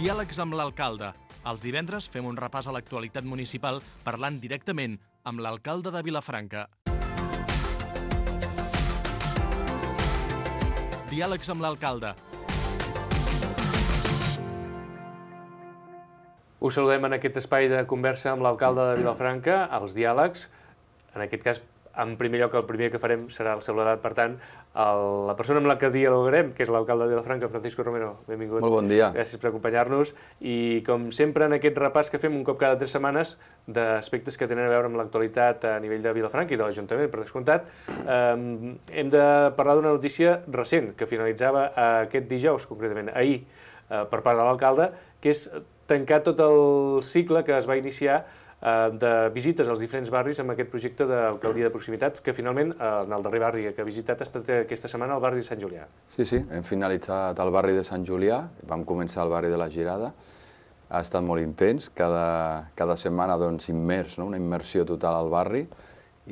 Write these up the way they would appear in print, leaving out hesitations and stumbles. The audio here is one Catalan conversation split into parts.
Diàlegs amb l'alcalde. Els divendres fem un repàs a l'actualitat municipal parlant directament amb l'alcalde de Vilafranca. Diàlegs amb l'alcalde. Us saludem en aquest espai de conversa amb l'alcalde de Vilafranca, els diàlegs. En aquest cas, en primer lloc, el primer que farem serà el saludat, per tant, la persona amb la que dialogarem, que és l'alcalde de Vilafranca, Francisco Romero. Benvingut. Molt bon dia. Gràcies per acompanyar-nos. I, com sempre, en aquest repàs que fem un cop cada 3 setmanes d'aspectes que tenen a veure amb l'actualitat a nivell de Vilafranca i de l'Ajuntament, per descomptat, hem de parlar d'una notícia recent que finalitzava aquest dijous, concretament ahir, per part de l'alcalde, que és tancar tot el cicle que es va iniciar de visites als diferents barris amb aquest projecte d'alcaldia de proximitat, que finalment, en el darrer barri que ha visitat, ha estat aquesta setmana el barri de Sant Julià. Sí, hem finalitzat el barri de Sant Julià, vam començar al barri de la Girada, ha estat molt intens, cada setmana immers, una immersió total al barri,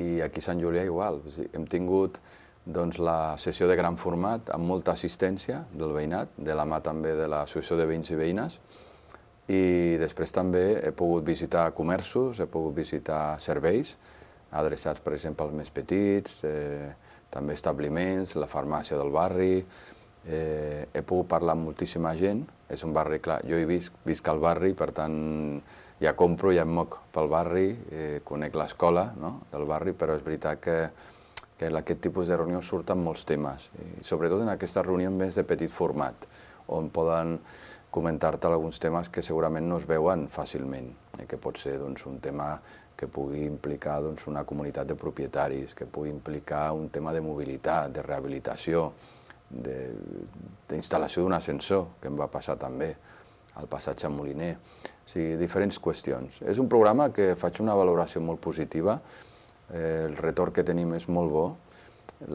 i aquí a Sant Julià igual. Hem tingut la sessió de gran format amb molta assistència del veïnat, de la mà també de l'Associació de Veïns i Veïnes, i després també he pogut visitar comerços, he pogut visitar serveis adreçats, per exemple, als més petits, també establiments, la farmàcia del barri, he pogut parlar amb moltíssima gent, és un barri, clar, jo hi visc al barri, per tant ja compro, ja em moc pel barri, conec l'escola del barri, però és veritat que en aquest tipus de reunions surten molts temes, i sobretot en aquestes reunions més de petit format, on poden comentar-te alguns temes que segurament no es veuen fàcilment, que pot ser un tema que pugui implicar una comunitat de propietaris, que pugui implicar un tema de mobilitat, de rehabilitació, d'instal·lació d'un ascensor, que em va passar també al passatge Moliner. O sigui, diferents qüestions. És un programa que faig una valoració molt positiva, el retorn que tenim és molt bo,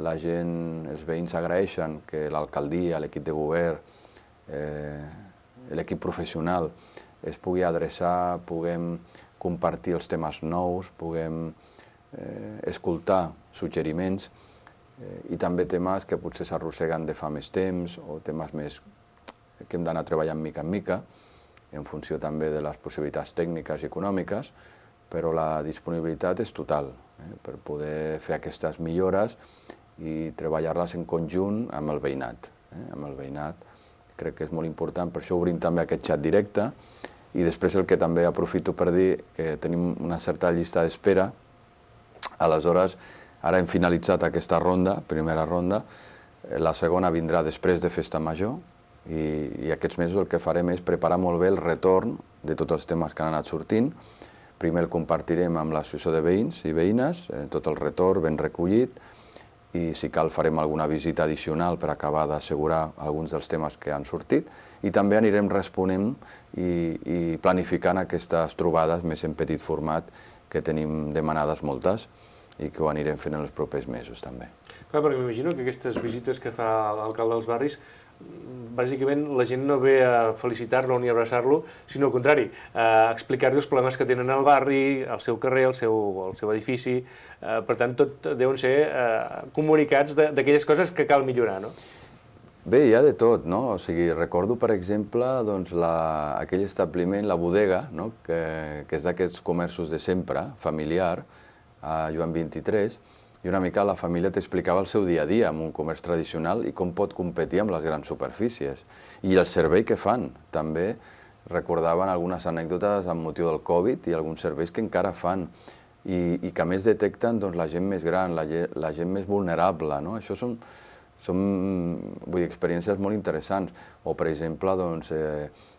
la gent, els veïns agraeixen que l'alcaldia, l'equip de govern, l'equip professional es pugui adreçar, puguem compartir els temes nous, puguem escoltar suggeriments i també temes que potser s'arrosseguen de fa més temps o temes més que hem d'anar treballant mica en mica, en funció també de les possibilitats tècniques i econòmiques, però la disponibilitat és total per poder fer aquestes millores i treballar-les en conjunt amb el veïnat. Crec que és molt important, per això obrim també aquest xat directe, i després el que també aprofito per dir que tenim una certa llista d'espera. Aleshores, ara hem finalitzat aquesta ronda, primera ronda, la segona vindrà després de Festa Major, i aquests mesos el que farem és preparar molt bé el retorn de tots els temes que han anat sortint. Primer el compartirem amb l'Associació de Veïns i Veïnes, tot el retorn ben recollit, i si cal farem alguna visita addicional per acabar d'assegurar alguns dels temes que han sortit, i també anirem responent i planificant aquestes trobades més en petit format que tenim demanades moltes i que ho anirem fent en els propers mesos també. Clar, perquè m'imagino que aquestes visites que fa l'alcalde dels barris, bàsicament la gent no ve a felicitar-lo ni a abraçar-lo, sinó al contrari, a explicar-li els problemes que tenen al barri, al seu carrer, al seu edifici. Per tant, tot deuen ser comunicats d'aquelles coses que cal millorar, no? Bé, hi ha de tot, no? O sigui, recordo, per exemple, aquell establiment, la bodega, que és d'aquests comerços de sempre, familiar, a Joan 23, i una mica la família t'explicava el seu dia a dia en un comerç tradicional i com pot competir amb les grans superfícies. I el servei que fan, també recordaven algunes anècdotes amb motiu del Covid i alguns serveis que encara fan i que a més detecten la gent més gran, la gent més vulnerable. Això són experiències molt interessants. O, per exemple,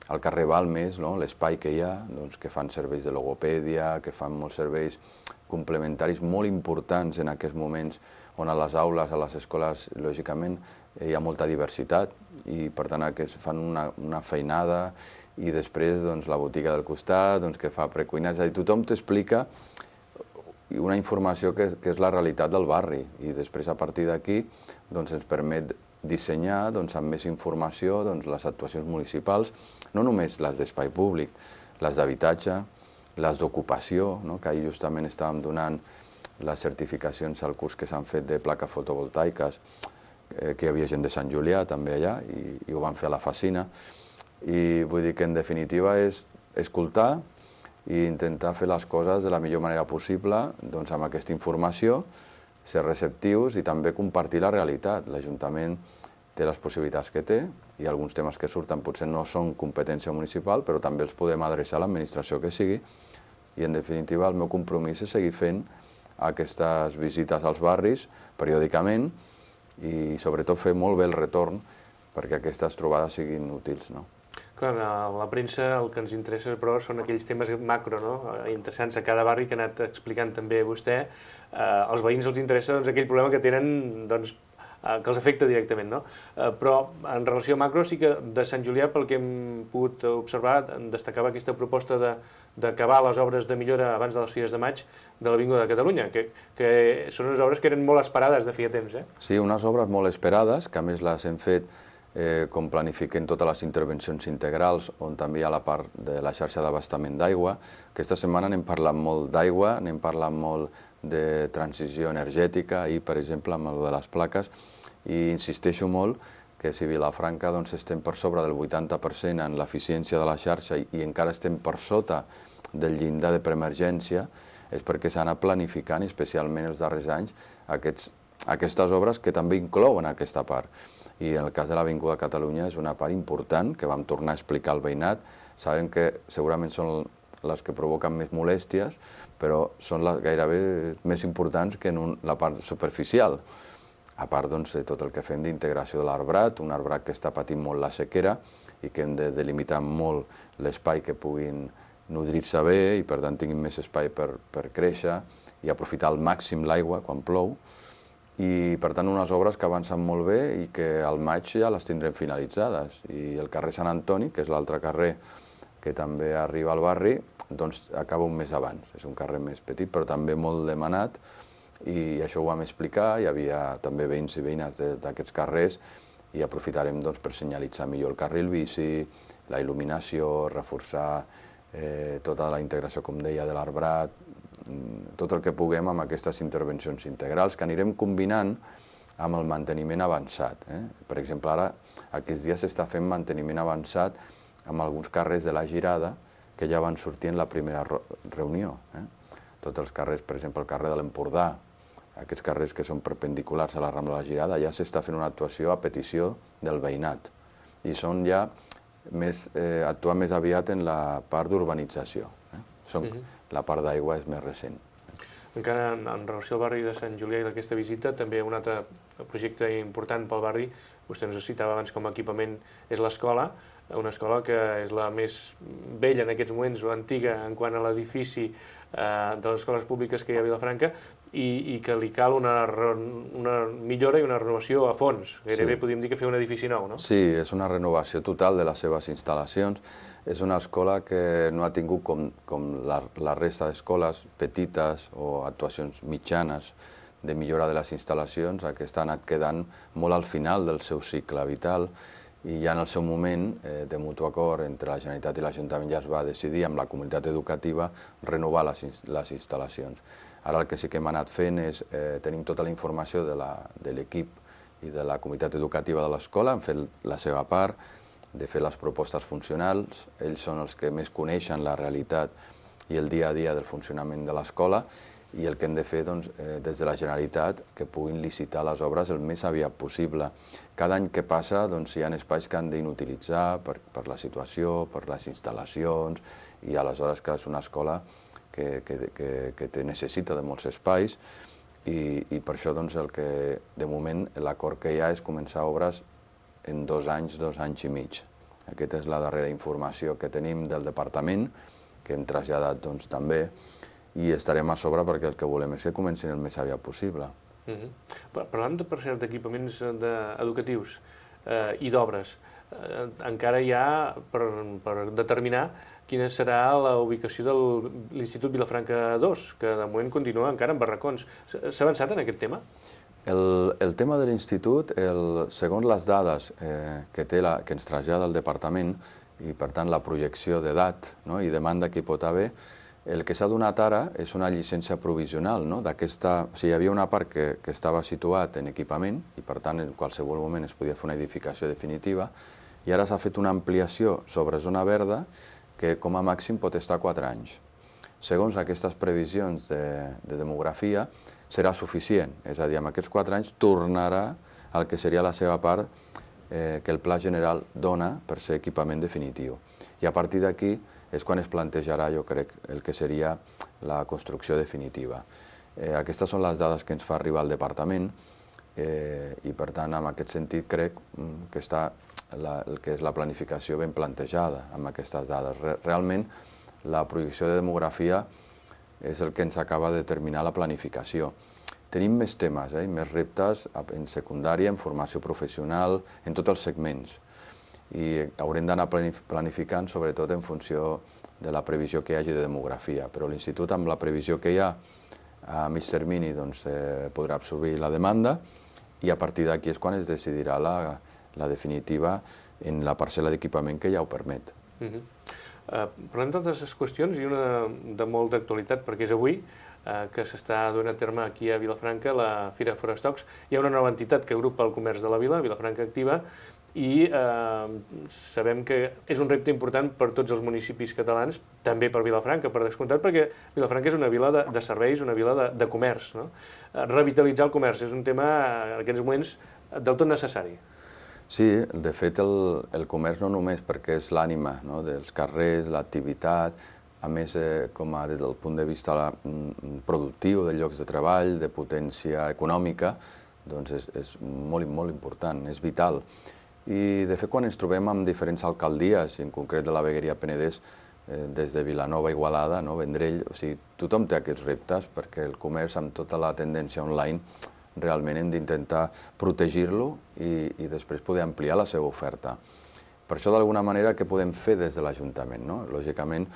al carrer Balmes, l'espai que hi ha, que fan serveis de logopèdia, que fan molts serveis complementaris molt importants en aquests moments on a les aules, a les escoles, lògicament, hi ha molta diversitat i, per tant, fan una feinada i després la botiga del costat que fa precuina. És a dir, tothom t'explica una informació que és la realitat del barri i després, a partir d'aquí, ens permet dissenyar amb més informació les actuacions municipals, no només les d'espai públic, les d'habitatge, les d'ocupació, que ahir justament estàvem donant les certificacions al curs que s'han fet de plaques fotovoltaiques, que hi havia gent de Sant Julià també allà i ho van fer a la Facina. I vull dir que en definitiva és escoltar i intentar fer les coses de la millor manera possible doncs, amb aquesta informació, ser receptius i també compartir la realitat. L'Ajuntament té les possibilitats que té i alguns temes que surten potser no són competència municipal, però també els podem adreçar a l'administració que sigui i en definitiva el meu compromís és seguir fent aquestes visites als barris periòdicament i sobretot fer molt bé el retorn perquè aquestes trobades siguin útils, no? Clar, a la premsa el que ens interessa, però, són aquells temes macro, no? Interessants a cada barri que ha anat explicant també vostè. Als veïns els interessa doncs, aquell problema que tenen doncs, que els afecta directament, no? Però en relació a macro sí que de Sant Julià, pel que hem pogut observar, destacava aquesta proposta d'acabar les obres de millora abans de les Fires de Maig de l'Avinguda de Catalunya, que són unes obres que eren molt esperades de feia temps, eh? Sí, unes obres molt esperades, que a més les hem fet com planifiquem totes les intervencions integrals, on també hi ha la part de la xarxa d'abastament d'aigua. Aquesta setmana n'hem parlat molt d'aigua, n'hem parlat molt de transició energètica i, per exemple, amb el de les plaques, i insisteixo molt que si Vilafranca doncs, estem per sobre del 80% en l'eficiència de la xarxa i encara estem per sota del llindar de preemergència, és perquè s'ha anat planificant, especialment els darrers anys, aquestes obres que també inclouen aquesta part. I en el cas de l'Avinguda de Catalunya és una part important que vam tornar a explicar al veïnat. Sabem que segurament són les que provoquen més molèsties, però són les gairebé més importants que en la part superficial. A part doncs, de tot el que fem d'integració de l'arbrat, un arbrat que està patint molt la sequera i que hem de delimitar molt l'espai que puguin nodrir-se bé i per tant tinguin més espai per créixer i aprofitar al màxim l'aigua quan plou. I per tant unes obres que avancen molt bé i que al maig ja les tindrem finalitzades. I el carrer Sant Antoni, que és l'altre carrer que també arriba al barri, doncs acaba un mes abans. És un carrer més petit però també molt demanat i això ho vam explicar, hi havia també veïns i veïnes d'aquests carrers i aprofitarem doncs, per senyalitzar millor el carril bici, la il·luminació, reforçar tota la integració, com deia, de l'arbrat, tot el que puguem amb aquestes intervencions integrals que anirem combinant amb el manteniment avançat. Per exemple, ara, aquests dies s'està fent manteniment avançat amb alguns carrers de la Girada que ja van sortir en la primera reunió. Tots els carrers, per exemple, el carrer de l'Empordà, aquests carrers que són perpendiculars a la Rambla de la Girada, ja s'està fent una actuació a petició del veïnat. I són ja actuar més aviat en la part d'urbanització. La part d'aigua és més recent. Encara en relació al barri de Sant Julià i d'aquesta visita, també un altre projecte important pel barri, vostè ens ho citava abans com a equipament, és l'escola, una escola que és la més vella en aquests moments, o antiga, en quant a l'edifici de les escoles públiques que hi ha a Vilafranca, i que li cal una millora i una renovació a fons. Gairebé podríem dir que fer un edifici nou, no? Sí, és una renovació total de les seves instal·lacions. És una escola que no ha tingut, com la resta d'escoles petites o actuacions mitjanes de millora de les instal·lacions, aquesta ha anat quedant molt al final del seu cicle vital i ja en el seu moment, de mutu acord entre la Generalitat i l'Ajuntament, ja es va decidir amb la comunitat educativa renovar les instal·lacions. Ara el que sí que hem anat fent és, tenim tota la informació de l'equip i de la comunitat educativa de l'escola, han fet la seva part, de fer les propostes funcionals, ells són els que més coneixen la realitat i el dia a dia del funcionament de l'escola i el que hem de fer doncs, des de la Generalitat que puguin licitar les obres el més aviat possible. Cada any que passa doncs, hi ha espais que han d'inutilitzar per la situació, per les instal·lacions i aleshores que és una escola que necessita de molts espais i per això doncs, de moment l'acord que hi ha és començar obres en 2 anys i mig. Aquesta és la darrera informació que tenim del departament, que hem traslladat doncs, també, i estarem a sobre perquè el que volem és que comencin el més aviat possible. Parlant, per cert, d'equipaments educatius i d'obres, encara hi ha per determinar quina serà la ubicació de l'Institut Vilafranca 2, que de moment continua encara en barracons. S'ha avançat en aquest tema? El tema de l'institut, segons les dades que ens trasllada el departament i per tant la projecció d'edat i demanda que hi pot haver, el que s'ha donat ara és una llicència provisional. Hi havia una part que estava situat en equipament i per tant en qualsevol moment es podia fer una edificació definitiva i ara s'ha fet una ampliació sobre zona verda que com a màxim pot estar 4 anys. Segons aquestes previsions de demografia, serà suficient, és a dir, en aquests 4 anys tornarà al que seria la seva part que el Pla General dona per ser equipament definitiu. I a partir d'aquí és quan es plantejarà, jo crec, el que seria la construcció definitiva. Aquestes són les dades que ens fa arribar al departament i, per tant, en aquest sentit, crec que està el que és la planificació ben plantejada amb aquestes dades. Realment, la projecció de demografia és el que ens acaba de determinar la planificació. Tenim més temes i més reptes en secundària, en formació professional, en tots els segments. I haurem d'anar planificant, sobretot en funció de la previsió que hi hagi de demografia. Però l'Institut, amb la previsió que hi ha a mig termini, podrà absorbir la demanda i a partir d'aquí és quan es decidirà la definitiva en la parcel·la d'equipament que ja ho permet. Parlem d'altres qüestions i una de molt d'actualitat, perquè és avui que s'està donant a terme aquí a Vilafranca la Fira Forestocs. Hi ha una nova entitat que agrupa el comerç de la vila, Vilafranca Activa, i sabem que és un repte important per tots els municipis catalans, també per Vilafranca, per descomptat, perquè Vilafranca és una vila de serveis, una vila de comerç. Revitalitzar el comerç és un tema en aquests moments del tot necessari. Sí, de fet el comerç no només perquè és l'ànima dels carrers, l'activitat, a més des del punt de vista productiu, de llocs de treball, de potència econòmica, doncs és molt important, és vital. I de fet quan ens trobem amb diferents alcaldies, en concret de la Vegueria Penedès, des de Vilanova, Igualada, Vendrell, o sigui, tothom té aquests reptes perquè el comerç amb tota la tendència online realment hem d'intentar protegir-lo i després poder ampliar la seva oferta. Per això, d'alguna manera, què podem fer des de l'Ajuntament? Lògicament,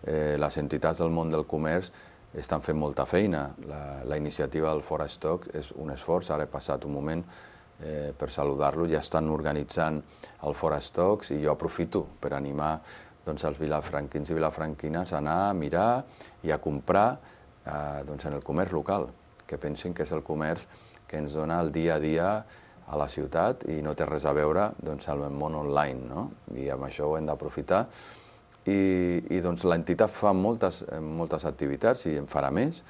les entitats del món del comerç estan fent molta feina. La iniciativa del Forestock és un esforç, ara he passat un moment per saludar-lo, ja estan organitzant el Forestocks i jo aprofito per animar els vilafranquins i vilafranquines a anar a mirar i a comprar en el comerç local, que pensin que és el comerç que ens dona el dia a dia a la ciutat i no té res a veure amb el món online, i amb això ho hem d'aprofitar. I l'entitat fa moltes activitats i en farà més,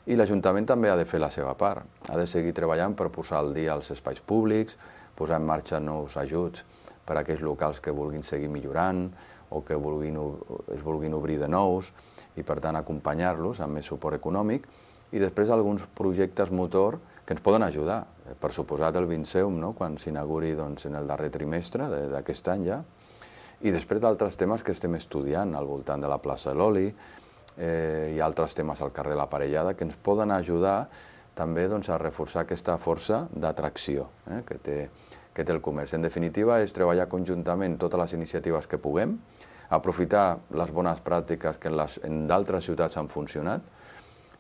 i l'Ajuntament també ha de fer la seva part. Ha de seguir treballant per posar al dia els espais públics, posar en marxa nous ajuts per a aquells locals que vulguin seguir millorant o que es vulguin obrir de nous i, per tant, acompanyar-los amb més suport econòmic i després alguns projectes motor que ens poden ajudar. Per suposat el Vinceum, quan s'inauguri en el darrer trimestre d'aquest any ja, i després d'altres temes que estem estudiant al voltant de la plaça de l'Oli i altres temes al carrer La Parellada que ens poden ajudar també a reforçar aquesta força d'atracció que té el comerç. En definitiva, és treballar conjuntament totes les iniciatives que puguem, aprofitar les bones pràctiques que en d'altres ciutats han funcionat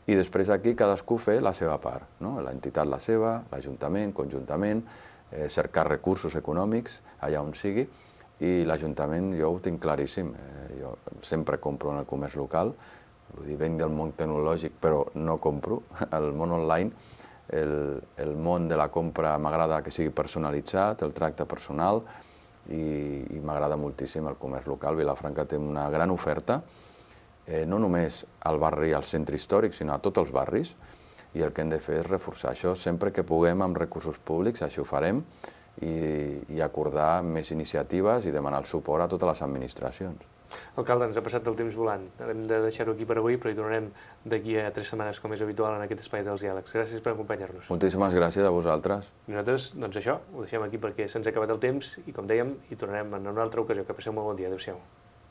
i després aquí cadascú fer la seva part, l'entitat la seva, l'Ajuntament, conjuntament, cercar recursos econòmics allà on sigui i l'Ajuntament jo ho tinc claríssim, jo sempre compro en el comerç local, vull dir, venc del món tecnològic però no compro, el món online, el món de la compra m'agrada que sigui personalitzat, el tracte personal i m'agrada moltíssim el comerç local. Vilafranca té una gran oferta, no només al barri, al centre històric, sinó a tots els barris, i el que hem de fer és reforçar això. Sempre que puguem amb recursos públics, així ho farem, i acordar més iniciatives i demanar el suport a totes les administracions. Alcalde, ens ha passat el temps volant. Hem de deixar-ho aquí per avui, però hi tornarem d'aquí a 3 setmanes, com és habitual en aquest espai dels diàlegs. Gràcies per acompanyar-nos. Moltíssimes gràcies a vosaltres. I nosaltres, doncs això, ho deixem aquí perquè se'ns ha acabat el temps i, com dèiem, hi tornarem en una altra ocasió. Que passeu molt bon dia. Adéu-siau.